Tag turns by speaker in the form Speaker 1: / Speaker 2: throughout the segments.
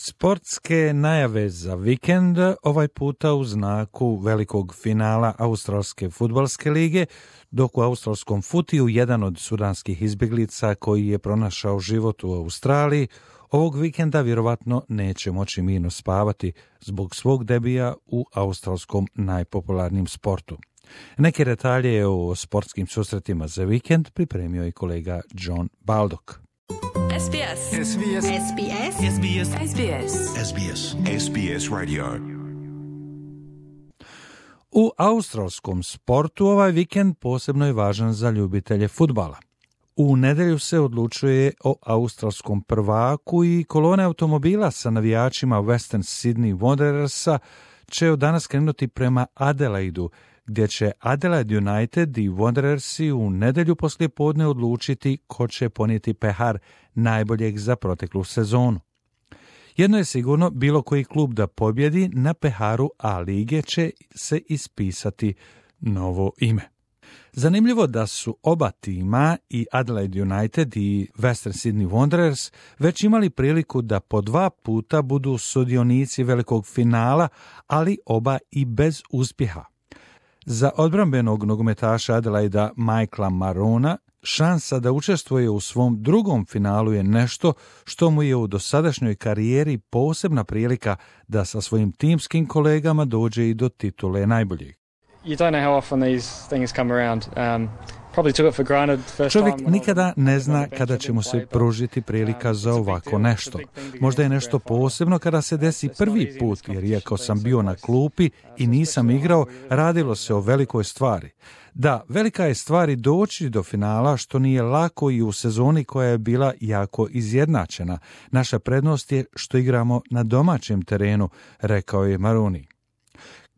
Speaker 1: Sportske najave za vikend, ovaj puta u znaku velikog finala Australske fudbalske lige, dok u australskom futiju jedan od sudanskih izbjeglica koji je pronašao život u Australiji, ovog vikenda vjerovatno neće moći mirno spavati zbog svog debija u australskom najpopularnijem sportu. Neke detalje o sportskim susretima za vikend pripremio i kolega John Baldock.
Speaker 2: SBS.
Speaker 3: SBS.
Speaker 2: SBS.
Speaker 3: SBS.
Speaker 2: SBS.
Speaker 3: SBS. SBS Radio.
Speaker 1: U australskom sportu ovaj vikend posebno je važan za ljubitelje fudbala. U nedjelju se odlučuje o australskom prvaku i kolone automobila sa navijačima Western Sydney Wanderersa će od danas krenuti prema Adelaidu, gdje će Adelaide United i Wanderersi u nedjelju poslijepodne odlučiti ko će ponijeti pehar najboljeg za proteklu sezonu. Jedno je sigurno, bilo koji klub da pobjedi na peharu A lige će se ispisati novo ime. Zanimljivo da su oba tima, i Adelaide United i Western Sydney Wanderers, već imali priliku da po 2 puta budu sudionici velikog finala, ali oba i bez uspjeha. Za odbrambenog nogometaša Adelaida Michaela Marona šansa da učestvuje u svom drugom finalu je nešto što mu je u dosadašnjoj karijeri posebna prilika da sa svojim timskim kolegama dođe i do titule najboljeg.
Speaker 4: You don't know how often these things come around. Probably took it for granted first
Speaker 1: Čovjek
Speaker 4: time.
Speaker 1: nikada ne zna kada će mu se pružiti prilika za ovako nešto. Možda je nešto posebno kada se desi prvi put, jer iako sam bio na klupi i nisam igrao, radilo se o velikoj stvari. Da, velika je stvar i doći do finala, što nije lako i u sezoni koja je bila jako izjednačena. Naša prednost je što igramo na domaćem terenu, rekao je Maroni.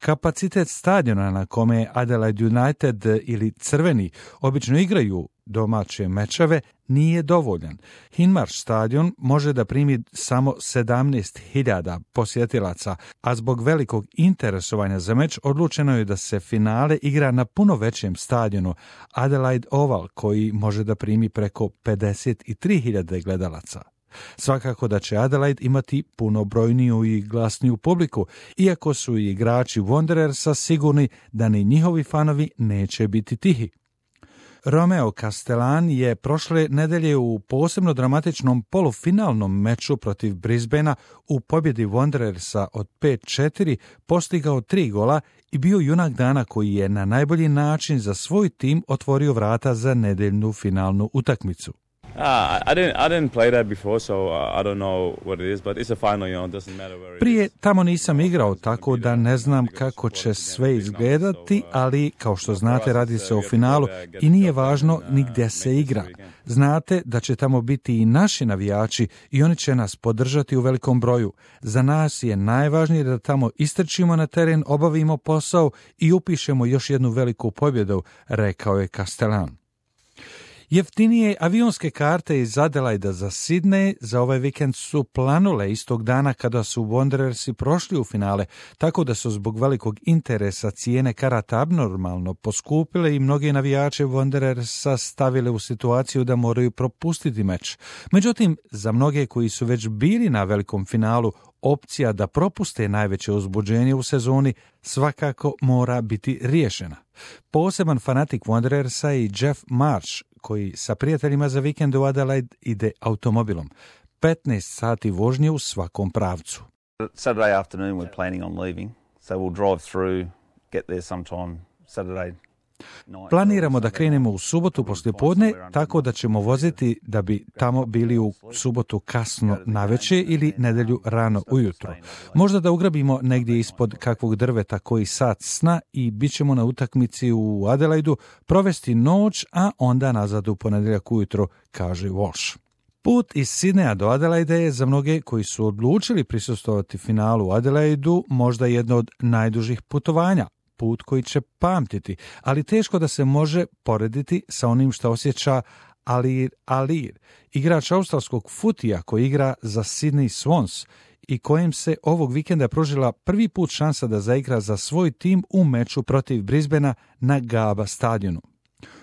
Speaker 1: Kapacitet stadiona na kome Adelaide United ili Crveni obično igraju domaće mečeve nije dovoljan. Hinmarsh stadion može da primi samo 17.000 posjetilaca, a zbog velikog interesovanja za meč odlučeno je da se finale igra na puno većem stadionu, Adelaide Oval, koji može da primi preko 53.000 gledalaca. Svakako da će Adelaide imati puno brojniju i glasniju publiku, iako su i igrači Wanderersa sigurni da ni njihovi fanovi neće biti tihi. Romeo Castellan je prošle nedelje u posebno dramatičnom polufinalnom meču protiv Brisbanea u pobjedi Wanderersa od 5-4 postigao 3 gola i bio junak dana koji je na najbolji način za svoj tim otvorio vrata za nedeljnu finalnu utakmicu.
Speaker 5: I didn't play that before, so I don't know what it is, but it's a final, it doesn't matter where it is.
Speaker 1: Prije tamo nisam igrao, tako da ne znam kako će sve izgledati, ali kao što znate radi se o finalu i nije važno ni gdje se igra. Znate da će tamo biti i naši navijači i oni će nas podržati u velikom broju. Za nas je najvažnije da tamo istrčimo na teren, obavimo posao i upišemo još jednu veliku pobjedu, rekao je Castellan. Jeftinije avionske karte iz Adelaida za Sydney za ovaj vikend su planule istog dana kada su Wanderersi prošli u finale, tako da su zbog velikog interesa cijene karata abnormalno poskupile i mnogi navijače Wanderersa stavile u situaciju da moraju propustiti meč. Međutim, za mnoge koji su već bili na velikom finalu, opcija da propuste najveće uzbuđenje u sezoni svakako mora biti riješena. Poseban fanatik Wanderersa je Jeff Marsh, koji sa prijateljima za vikend u Adelaide ide automobilom. 15 sati vožnje u svakom pravcu.
Speaker 6: Saturday afternoon we're planning on leaving, so we'll drive through, get there sometime Saturday.
Speaker 1: Planiramo da krenemo u subotu poslijepodne, tako da ćemo voziti da bi tamo bili u subotu kasno navečer ili nedjelju rano ujutro. Možda da ugrabimo negdje ispod kakvog drveta koji sat sna i bit ćemo na utakmici u Adelaidu, provesti noć, a onda nazad u ponedjeljak ujutro, kaže Walsh. Put iz Sidneja do Adelaide je za mnoge koji su odlučili prisustvovati finalu u Adelaidu možda jedno od najdužih putovanja. Put koji će pamtiti, ali teško da se može porediti sa onim što osjeća Alir Alir, igrač australskog futija koji igra za Sydney Swans i kojem se ovog vikenda pružila prvi put šansa da zaigra za svoj tim u meču protiv Brisbanea na Gabba stadionu.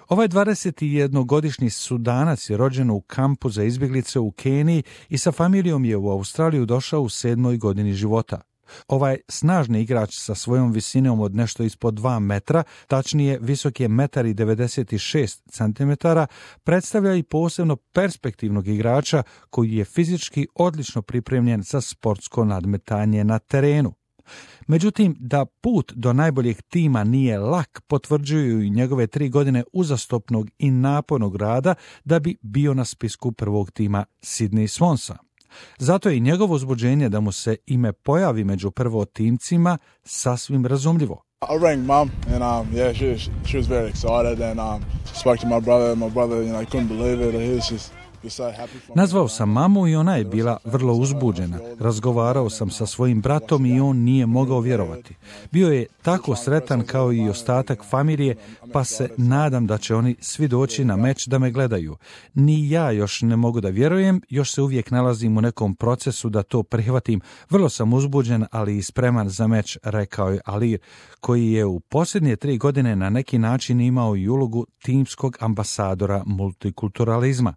Speaker 1: Ovaj 21-godišnji Sudanac je rođen u kampu za izbjeglice u Keniji i sa familijom je u Australiju došao u 7. godini života. Ovaj snažni igrač sa svojom visinom od nešto ispod 2 metra, tačnije visok je 1,96 cm, predstavlja i posebno perspektivnog igrača koji je fizički odlično pripremljen za sportsko nadmetanje na terenu. Međutim, da put do najboljeg tima nije lak, potvrđuju i njegove 3 godine uzastopnog i napornog rada da bi bio na spisku prvog tima Sydney Swansa. Zato je i njegovo uzbuđenje da mu se ime pojavi među prvotimcima sasvim razumljivo.
Speaker 7: I rang mum and she was very excited and spoke to my brother. My brother, he couldn't believe it. He was just
Speaker 1: Nazvao sam mamu i ona je bila vrlo uzbuđena. Razgovarao sam sa svojim bratom i on nije mogao vjerovati. Bio je tako sretan kao i ostatak familije, pa se nadam da će oni svi doći na meč da me gledaju. Ni ja još ne mogu da vjerujem, još se uvijek nalazim u nekom procesu da to prihvatim. Vrlo sam uzbuđen, ali i spreman za meč, rekao je Alir, koji je u posljednje 3 godine na neki način imao i ulogu timskog ambasadora multikulturalizma.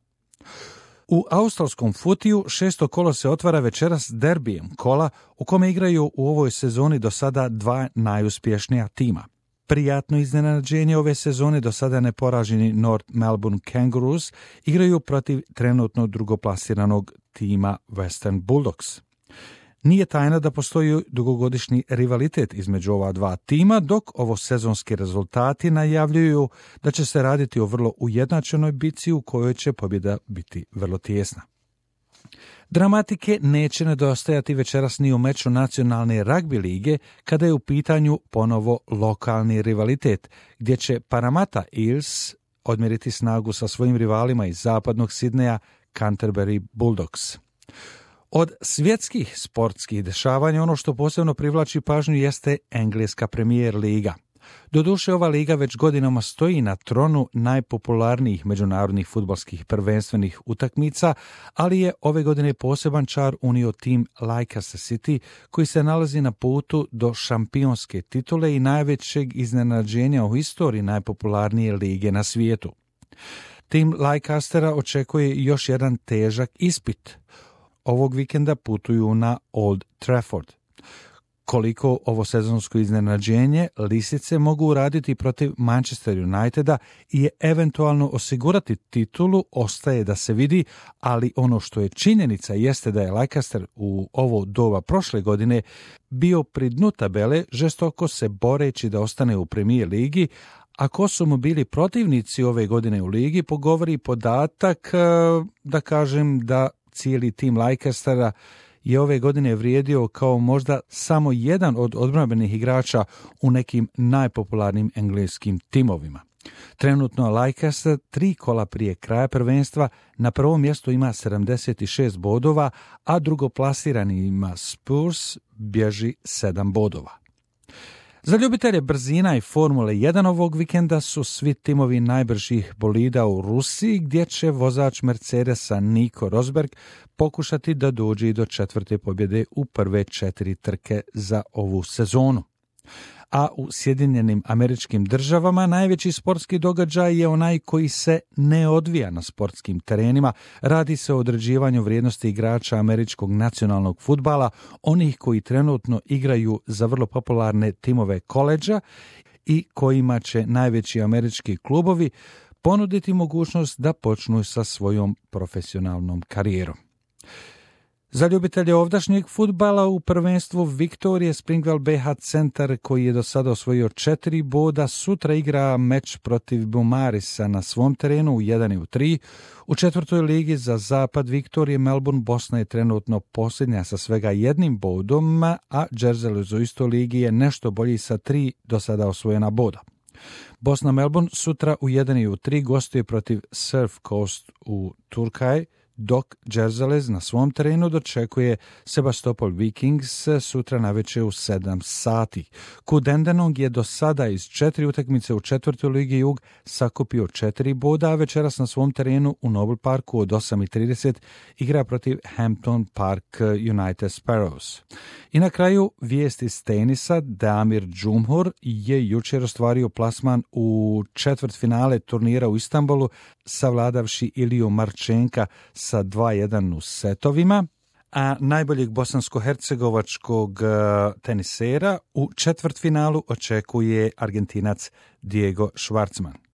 Speaker 1: U australskom futiju 6. kolo se otvara večeras derbijem kola u kome igraju u ovoj sezoni do sada 2 najuspješnija tima. Prijatno iznenađenje ove sezone do sada neporaženi North Melbourne Kangaroos igraju protiv trenutno drugoplasiranog tima Western Bulldogs. Nije tajna da postoji dugogodišnji rivalitet između ova 2 tima, dok ovo sezonski rezultati najavljuju da će se raditi o vrlo ujednačenoj bitci u kojoj će pobjeda biti vrlo tijesna. Dramatike neće nedostajati večeras ni u meču nacionalne ragbi lige kada je u pitanju ponovo lokalni rivalitet, gdje će Parramatta Eels odmjeriti snagu sa svojim rivalima iz zapadnog Sidneja Canterbury Bulldogs. Od svjetskih sportskih dešavanja ono što posebno privlači pažnju jeste engleska Premier liga. Doduše, ova liga već godinama stoji na tronu najpopularnijih međunarodnih fudbalskih prvenstvenih utakmica, ali je ove godine poseban čar unio tim Leicester City koji se nalazi na putu do šampionske titule i najvećeg iznenađenja u historiji najpopularnije lige na svijetu. Tim Leicestera očekuje još jedan težak ispit. Ovog vikenda putuju na Old Trafford. Koliko ovo sezonsko iznenađenje lisice mogu uraditi protiv Manchester Uniteda i eventualno osigurati titulu ostaje da se vidi, ali ono što je činjenica jeste da je Leicester u ovo doba prošle godine bio pri dnu tabele, žestoko se boreći da ostane u Premier ligi, a ko su mu bili protivnici ove godine u ligi, pogovori podatak, da kažem da cijeli tim Leicestera je ove godine vrijedio kao možda samo jedan od odbrambenih igrača u nekim najpopularnim engleskim timovima. Trenutno Leicester 3 kola prije kraja prvenstva na prvom mjestu ima 76 bodova, a drugoplasirani ima Spurs bježi 7 bodova. Za ljubitelje brzina i Formule 1 ovog vikenda su svi timovi najbržih bolida u Rusiji, gdje će vozač Mercedesa Nico Rosberg pokušati da dođe do 4. pobjede u prve 4 trke za ovu sezonu. A u Sjedinjenim Američkim Državama najveći sportski događaj je onaj koji se ne odvija na sportskim terenima. Radi se o određivanju vrijednosti igrača američkog nacionalnog fudbala, onih koji trenutno igraju za vrlo popularne timove koledža i kojima će najveći američki klubovi ponuditi mogućnost da počnu sa svojom profesionalnom karijerom. Za ljubitelje ovdašnjeg fudbala u prvenstvu Viktorije Springwell BH Centar, koji je do sada osvojio 4 boda, sutra igra meč protiv Bumarisa na svom terenu u 1-3. U 4. ligi za zapad Viktorije Melbourne Bosna je trenutno posljednja sa svega 1 bodom, a Jersey u istoj ligi je nešto bolji sa 3 do sada osvojena boda. Bosna Melbourne sutra u 1-3 gostuje protiv Surf Coast u Turkaj, dok Dzerzalez na svom terenu dočekuje Sebastopol Vikings sutra navečer u 7 sati. Kudendenong je do sada iz 4 utakmice u 4. ligi Jug sakupio 4 boda, a večeras na svom terenu u Noble Parku od 8:30 igra protiv Hampton Park United Sparrows. I na kraju vijest iz tenisa. Damir Džumhur je jučer ostvario plasman u četvrtfinale turnira u Istanbulu, savladavši Iliju Marčenka sa 2:1 u setovima, a najboljeg bosansko-hercegovačkog tenisera u četvrtfinalu očekuje Argentinac Diego Schwartzman.